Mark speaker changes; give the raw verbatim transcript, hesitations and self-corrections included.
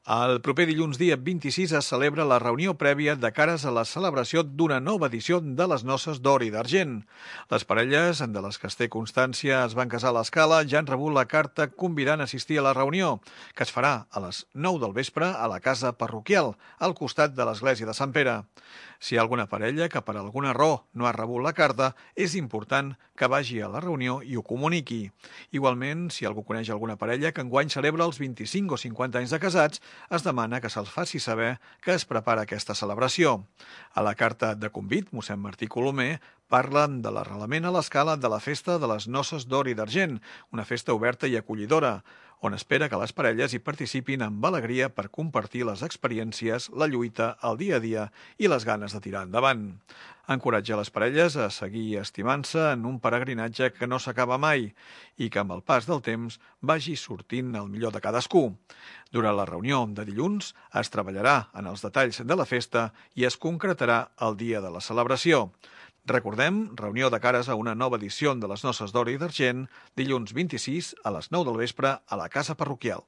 Speaker 1: El proper dilluns dia vint-i-sis es celebra la reunió prèvia de cares a la celebració d'una nova edició de les Noces d'Or i d'Argent. Les parelles, de les que es té constància, es van casar a l'Escala, ja han rebut la carta convidant a assistir a la reunió, que es farà a les nou del vespre a la casa parroquial, al costat de l'església de Sant Pere. Si hi ha alguna parella que per alguna raó no ha rebut la carta, és important que vagi a la reunió i ho comuniqui. Igualment, si algú coneix alguna parella que enguany celebra els vint-i-cinc o cinquanta anys de casats, es demana que se'ls faci saber que es prepara aquesta celebració. A la carta de convit, mossèn Martí Colomer parla de l'arrelament a l'Escala de la festa de les Noces d'Or i d'Argent, una festa oberta i acollidora, on espera que les parelles hi participin amb alegria per compartir les experiències, la lluita, el dia a dia i les ganes de tirar endavant. Encoratja les parelles a seguir estimant-se en un peregrinatge que no s'acaba mai i que amb el pas del temps vagi sortint el millor de cadascú. Durant la reunió de dilluns es treballarà en els detalls de la festa i es concretarà el dia de la celebració. Recordem, reunió de cares a una nova edició de les Noces d'Or i d'Argent, dilluns vint-i-sis a les nou del vespre a la casa parroquial.